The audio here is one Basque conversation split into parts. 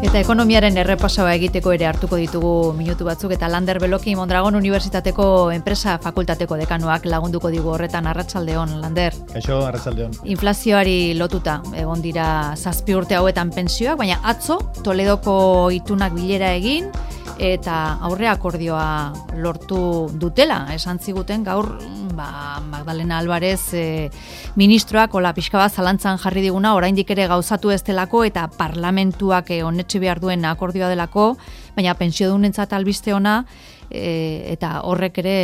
Eta ekonomiaren errepasoa egiteko ere hartuko ditugu minutu batzuk, eta Lander Beloki Mondragon Unibertsitateko enpresa fakultateko dekanoak lagunduko digu horretan. Arratsaldeon, Lander. Kaixo, arratsaldeon. Inflazioari lotuta egon dira 7 urte hauetan pentsioak, baina atzo Toledoko itunak bilera egin eta aurre akordioa lortu dutela. Esan ziguten gaur Magdalena Álvarez ministroak hola pixka bat zalantzan jarri diguna, oraindik ere gauzatu ez delako eta parlamentuak onetsi behar duen akordioa delako, baina pentsiodunentzat albiste ona, eta horrek ere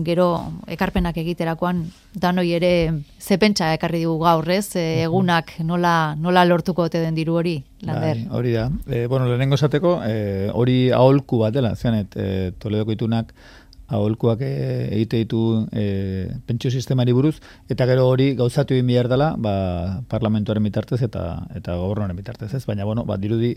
gero ekarpenak egiterakoan danoi ere ze pentsa ekarri digu gaur, ez? Egunak nola lortuko ote den diru hori, Lander? Bai, hori da. Lehenengo esateko, hori aholku bat dela, zeanet, Toledoko itunak aholkuak egite ditu pentsio sistemari buruz, eta gero hori gauzatu egin behar dela, parlamentuaren bitartez eta gobernuaren bitartez, ez? Baina, dirudi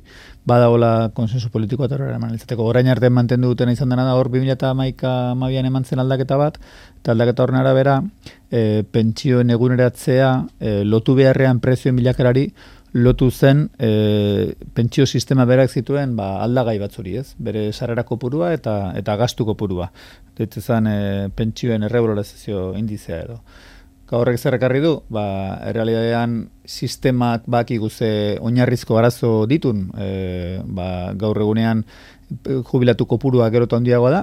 badagoela konsensu politikoa eta horrela eman izateko. Orain arte mantendu dutena izan dena da, hor 2012an eman zen aldaketa bat, eta aldaketa horren arabera, pentsioen eguneratzea lotu beharrean prezioen bilakerari, lotu zen pentsio sistema berak zituen aldagai batzuri, ez? Bere sarrera kopurua eta gastu kopurua. Deitzen zen pentsioen erregularizazio indizea edo. Horrek zer ekarri du? Errealitatean sistemak bakigu ze oinarrizko arazo ditun, gaur egunean jubilatu kopurua gero eta handiagoa da,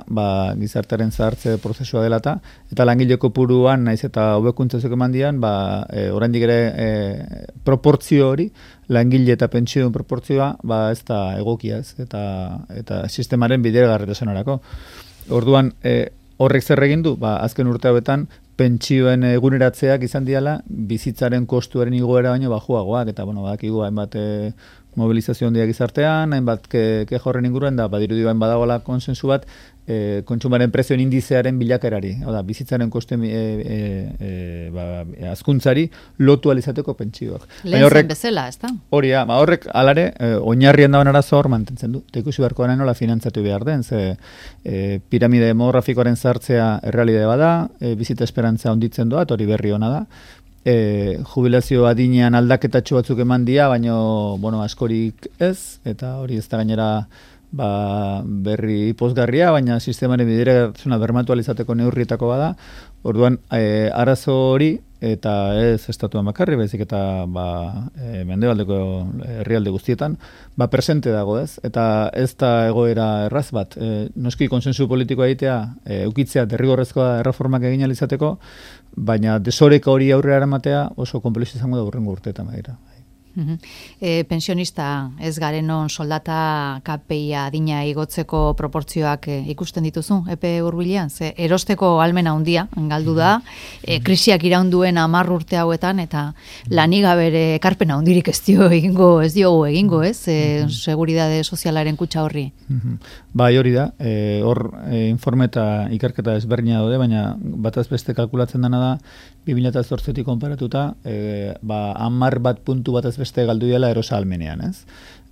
gizartearen zahartze prozesua dela eta langile kopuruan naiz eta hobekuntzazuk eman dian, oraindik ere proportzio hori, langile eta pentsioen proportzioa, ez da egokia, ez, eta sistemaren bideragarritasunerako. Orduan, horrek zer egin du? Azken urte hauetan, pentsioen eguneratzeak izan diala, bizitzaren kostuaren igoera baino bajuagoak, eta badakigu hainbat mobilizazio handiak gizartean, hainbat keja horren inguruan, da badirudi badagoela konsensu bat, kontsumaren prezioen indizearen bilakerari, bizitzaren kostuen hazkuntzari lotu alizateko pentsioak. Lehen zen bezala, ez da? Hori, horrek alare, oinarrien dagoen arazo hor mantentzen du. Ikusi beharko gana nola finantzatu behar den, ze piramide demografikoaren sartzea errealidade bada, bizitza esperantza onditzen doa, hori berri ona da. Jubilazio adinean aldaketatxo batzuk eman dia, baino askorik ez, eta hori ez da gainera berri pozgarria, baina sistemaren bideragarritasuna bermatu alizateko neurrietako bada. Orduan, arazo hori, eta ez estatuan bakarri, baizik eta mendebaldeko herrialde guztietan, presente dago, ez? Eta ez da egoera erraz bat. Noski konsensu politikoa egitea, eukitzea derrigorrezkoa erreformak egin alizateko, baina desoreka hori aurrera eramatea oso konplexu izango da hurrengo urteetan badira. Pensionista ez garenon soldata KPIa adina igotzeko proportzioak ikusten dituzu, epe hurbilean? Ze erosteko ahalmena handia galdu da, krisiak iraunduen 10 urte hauetan, eta lanigabere ekarpena handirik ez diogu egingo, ez? Seguridade sozialaren kutxa horri. Bai, hori da, hor informe eta ikerketa ezberdina daude, baina bataz beste kalkulatzen dena da, 2008tik konparatuta, 10 puntu bataz beste galdu dela erosa almenean, ez?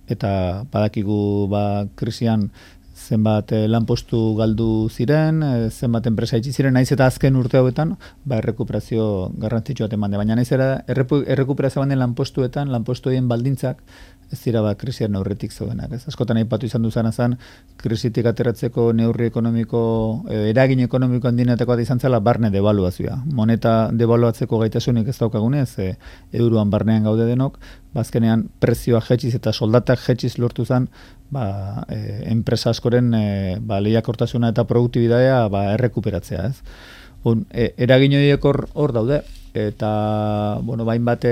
Eta badakigu krisian zenbat lanpostu galdu ziren, zenbat enpresa itxi ziren, naiz eta azken urte hauetan, errekuperazio garrantzitsua eman de, baina naiz era errekuperazio banden lanpostuetan, lanpostuetan baldintzak ez dira krisiaren aurretik zeudenak, ez? Askotan aipatu izan duzana zen, krisitik ateratzeko neurri ekonomiko, eragin ekonomiko handinetako bat izan zela barne devaluazioa. Moneta devaluatzeko gaitasunik ez daukagunez, euroan barnean gaude denok, bazkenean prezioa jetxiz eta soldatak jetxiz lortu zen, enpresa askoren lehiakortasuna eta produktibidadea errekuperatzea, ez? Eragin horiek hor daude, eta hainbat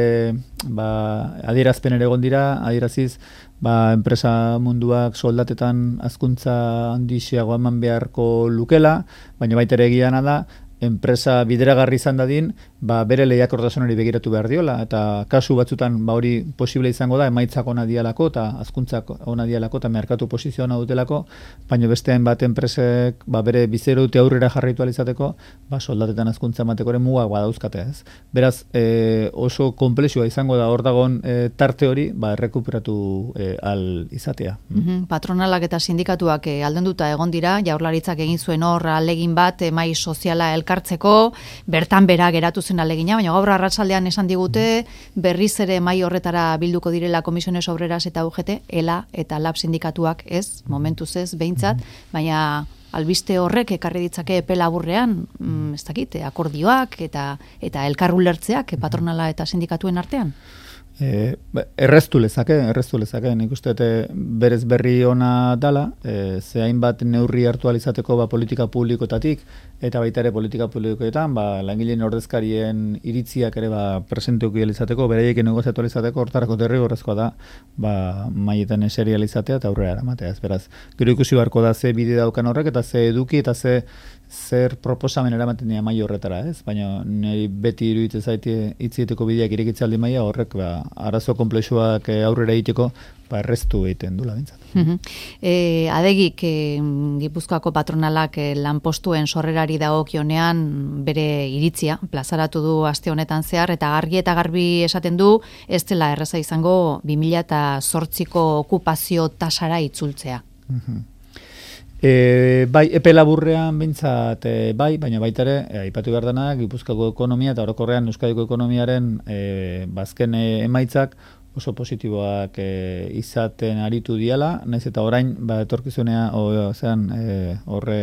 adierazpen ere egon dira, adieraziz enpresa munduak soldatetan hazkuntza handiagoa eman beharko lukela, baina baita ere egia da, enpresa bideragarri izan dadin, bere lehiakortasunari begiratu behar diola, eta kasu batzutan hori posible izango da, emaitzak ona dialako, eta hazkuntzak ona dialako, eta merkatu posizio ona dutelako, baina bestean bat enpresek bere bizero dute aurrera jarraitu alizateko, soldatetan hazkuntza ematekoren mugak badauzkate, ez? Beraz, oso komplexua izango da hor dagoen tarte hori, errekuperatu al izatea. Patronalak eta sindikatuak aldenduta egon dira, Jaurlaritzak egin zuen hor ahalegin bat, mai soziala elkartzeko, bertan bera geratu zen alegina, baina gaur arratsaldean esan digute berriz ere mai horretara bilduko direla Comisiones Obreras eta UGT, ELA eta LAB sindikatuak ez, momentuz ez, behintzat, baina albiste horrek ekarri ditzake epe laburrean, ez dakit, akordioak eta elkar ulertzeak patronala eta sindikatuen artean? Erreztu lezake, nik uste berez berri ona dala, ze hainbat neurri hartu alizateko politika publikoetatik, eta baita ere politika publikoetan, langileen ordezkarien iritziak ere presenteuki alizateko, beraiek negoziatu alizateko, hortarako derrigorrezkoa da, maietan eseri alizatea eta aurrera eramatea. Beraz, gero ikusi beharko da ze bide daukan horrek, eta ze eduki, eta zer proposamen eramaten dira mai horretara, ez? Baina niri beti iruditzen zaite hitzieteko bideak irekitzaldi maila horrek arazo konplexuak aurrera egiteko erreztu egiten dula bintzat. Adegik Gipuzkoako patronalak lanpostuen sorrerari dagokionean bere iritzia plazaratu du aste honetan zehar, eta argi eta garbi esaten du ez dela erraza izango 2008ko okupazio tasara itzultzea. Bai, epe laburrean bintzat bai, baina baita ere, aipatu behar dena, Gipuzkoako ekonomia eta orokorrean Euskadiko ekonomiaren bazken emaitzak oso positiboak izaten aritu diala, naiz eta orain, etorkizunea, horre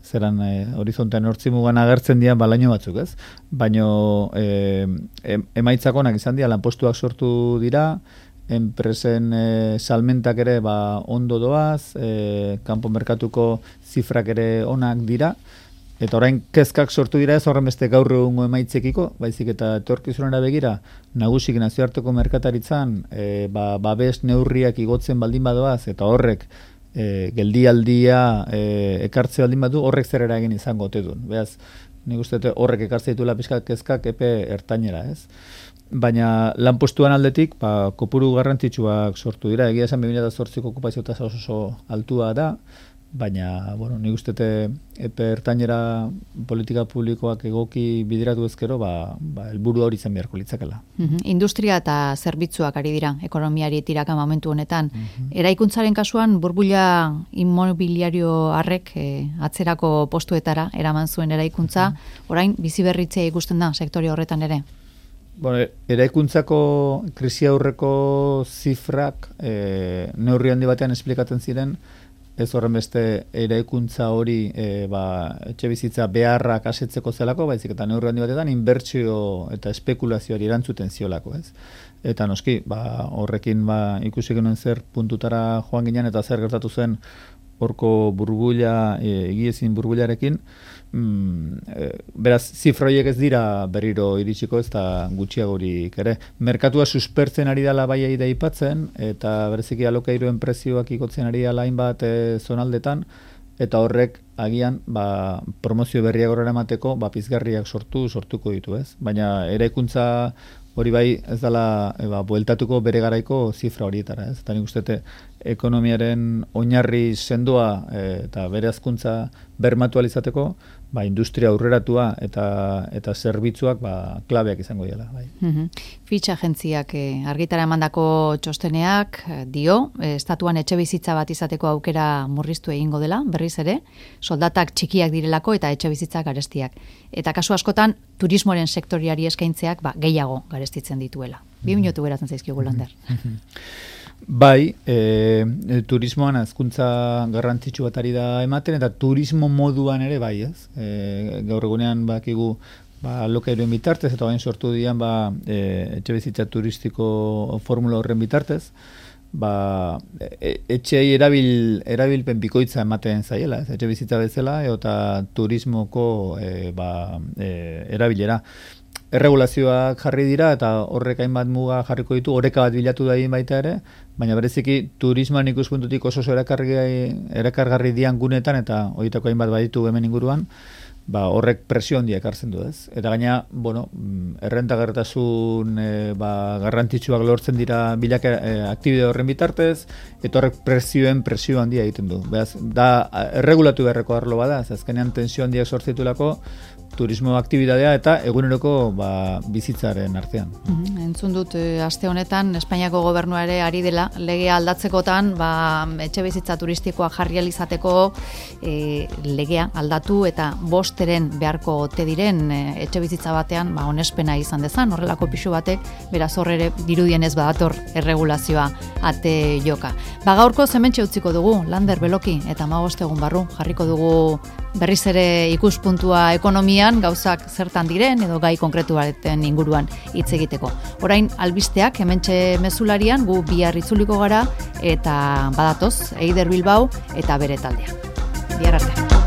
zeran horizontean hortzimugan agertzen dian balaino batzuk, ez? Baina emaitzak onak izan dira, lanpostuak sortu dira, enpresen salmentak ere ondo doaz, kanpo merkatuko zifrak ere onak dira, eta orain kezkak sortu dira ez horren beste gaur egungo emaitzekiko, baizik eta etorkizunera begira, nagusik nazioarteko merkataritzan, babes neurriak igotzen baldin badoaz, eta horrek geldialdia ekartze baldin badu, horrek zer eragin izango ote duen. Beraz, nik uste horrek ekartze ditula pixkat kezkak epe ertainera, ez? Baina lanpostuan aldetik, kopuru garrantzitsuak sortu dira. Egia esan 2008ko okupazio tasa oso altua da, baina, nik uste epe ertainera politika publikoak egoki bideratu ezkero, helburu hori izan beharko litzakela. Industria eta zerbitzuak ari dira, ekonomiari tiraka momentu honetan. Eraikuntzaren kasuan, burbula inmobiliario harrek atzerako postuetara eraman zuen eraikuntza, orain biziberritzea ikusten da sektore horretan ere. Eraikuntzako krisi aurreko zifrak neurri handi batean esplikatzen ziren, ez horren beste eraikuntza hori etxe bizitza beharrak asetzeko zelako, baizik eta neurri handi batetan inbertsio eta espekulazioari erantzuten ziolako, ez? Eta noski, horrekin ikusi genuen zer puntutara joan ginen eta zer gertatu zen horko burbuila, egiezin burbularekin, beraz, zifroiek ez dira berriro iritsiko ez da gutxiagorik ere. Merkatua suspertzen ari dela bai da aipatzen, eta bereziki alokairuen prezioak igotzen ari dela hainbat zonaldetan, eta horrek agian promozio berriak horrela emateko pizgarriak sortuko ditu, ez? Baina eraikuntza hori bai ez dela bueltatuko bere garaiko zifra horietara, ez? Eta nik uste ekonomiaren oinarri sendoa eta bere hazkuntza bermatu alizateko, industria aurreratua eta zerbitzuak klabeak izango dira. Fitch agentziak argitara emandako txosteneak dio, estatuan etxe bizitza bat izateko aukera murriztu egingo dela, berriz ere, soldatak txikiak direlako eta etxe bizitzak garestiak. Eta kasu askotan, turismoaren sektoriari eskaintzeak gehiago garestitzen dituela. 2 minutu geratzen zaizkigu Lander. Bai, turismoan hazkuntza garrantzitsu bat ari da ematen, eta turismo moduan ere bai, ez? Gaur egunean bakigu alokairuen bitartez, eta bain sortu dian etxe bizitza turistiko formula horren bitartez, etxei erabilpen bikoitza ematen zaiela, etxe bizitza bezala, eta turismoko erabilera. Erregulazioak jarri dira eta horrek hainbat muga jarriko ditu, oreka bat bilatu da egin baita ere, baina bereziki turismoan ikuspuntutik oso erakargarri dian gunetan eta horietako hainbat baditu hemen inguruan, horrek presio handiak hartzen du, ez? Eta gaina, errentagarritasun garrantzitsuak lortzen dira aktibide horren bitartez, eta horrek presio handia egiten du. Beraz, da erregulatu beharreko arlo bada, azkenean tensio handiak sortzitulako, turismo aktibitatea eta eguneroko bizitzaren artean. Entzun dut, aste honetan, Espainiako gobernua ere ari dela, legea aldatzekotan, etxe bizitza turistikoa jarri alizateko legea aldatu eta 5 beharko ote diren etxe bizitza batean, onespena izan dezan, horrelako pisu batek, beraz horre dirudienez badator erregulazioa ate joka. Gaurko hementxe utziko dugu, Lander Beloki eta 15 egun barru, jarriko dugu berriz ere ikuspuntua ekonomian, gauzak zertan diren edo gai konkretu baten inguruan hitz egiteko. Orain albisteak hementxe mezularian gu bihar itzuliko gara eta badatoz Eider Bilbao eta bere taldea. Bihar arte.